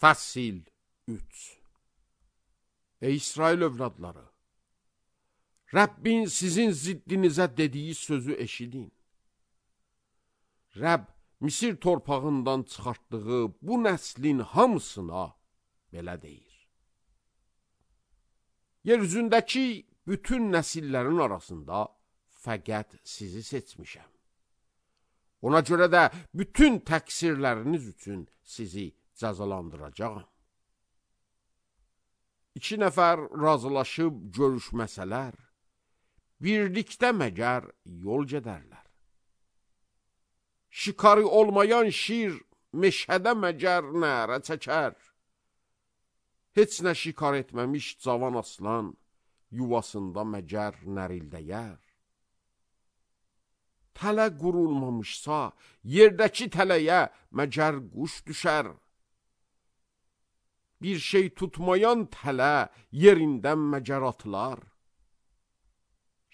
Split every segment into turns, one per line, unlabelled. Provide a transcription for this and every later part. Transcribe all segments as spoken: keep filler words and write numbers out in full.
Fəsil üç. Ey İsrail övladları, Rəbbin sizin ziddinizə dediyi sözü eşidin. Rəbb Misir torpağından çıxartdığı bu nəslin hamısına belə deyir. Yeryüzündəki bütün nəsillərin arasında fəqət sizi seçmişəm. Ona görə də bütün təqsirləriniz üçün sizi cəzalandıracağam. İki nəfər razılaşıb görüşməsələr, birlikdə məgər yol gedərlər. Şikarı olmayan şir meşədə məgər nərə çəkər. Heç nə şikar etməmiş cavan aslan yuvasında məgər nərildəyər. Tələ qurulmamışsa, yerdəki tələyə məgər quş düşər. Bir şey tutmayan tələ yerindən məgər atılar.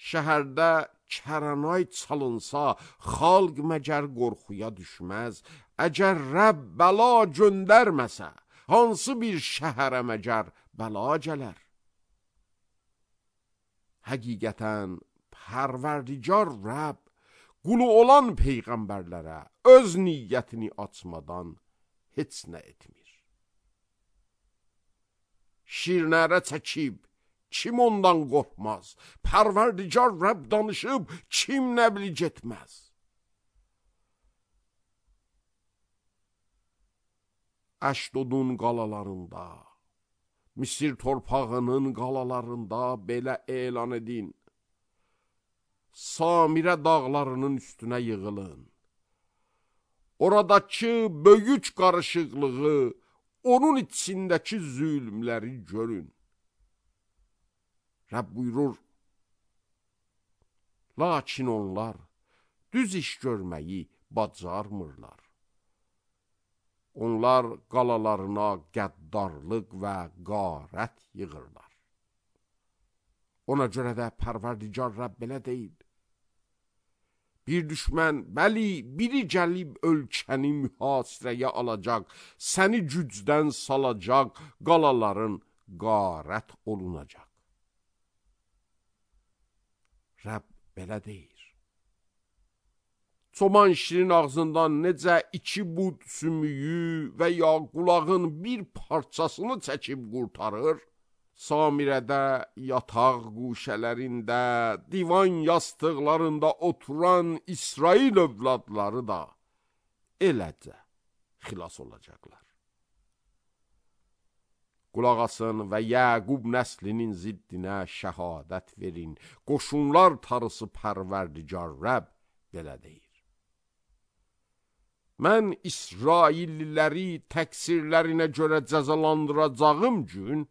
Şəhərdə kəranay çalınsa, xalq məgər qorxuya düşməz. Əgər Rəbb bəla göndərməsə, hansı bir şəhərə məgər bəla gələr? Həqiqətən, Pərverdigar Rəbb, qulu olan peyğəmbərlərə öz niyyətini açmadan heç nə etmir. Şirnərə çəkib, kim ondan qorxmaz? Pərverdigar Rəbb danışıb, kim nəbli getməz? Əşdodun qalalarında, Misir torpağının qalalarında belə elan edin. Samirə dağlarının üstünə yığılın. Oradakı böyük qarışıqlığı, onun içindəki zülmləri görün. Rəbb buyurur, lakin onlar düz iş görməyi bacarmırlar. Onlar qalalarına qəddarlıq və qarət yığırlar. Ona görə də Pərverdigar Rəbb belə deyil. Bir düşmən, bəli, biri gəlib ölkəni mühasirəyə alacaq, səni gücdən salacaq, qalaların qarət olunacaq. Rəbb belə deyir. Çoban şirin ağzından necə iki bud sümüyü və ya qulağın bir parçasını çəkib qurtarır, Samirədə, yataq quşələrində, divan yastıqlarında oturan İsrail övladları da eləcə xilas olacaqlar. Qulaq asın və Yəqub nəslinin ziddinə şəhadət verin. Qoşunlar tarısı Pərverdigar Rəbb belə deyir. Mən İsrailliləri təqsirlərinə görə cəzalandıracağım gün,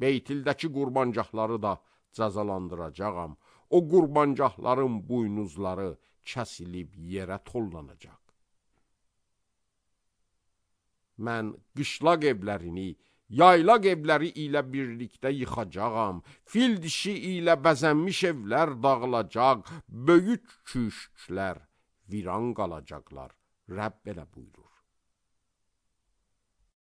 Beytildəki qurbancaqları da cəzalandıracağam. O qurbancaqların buynuzları kəsilib yerə tollanacaq. Mən qışlaq evlərini, yaylaq evləri ilə birlikdə yıxacağam. Fil dişi ilə bəzənmiş evlər dağılacaq, böyük köşklər viran qalacaqlar. Rəbb belə buyurur.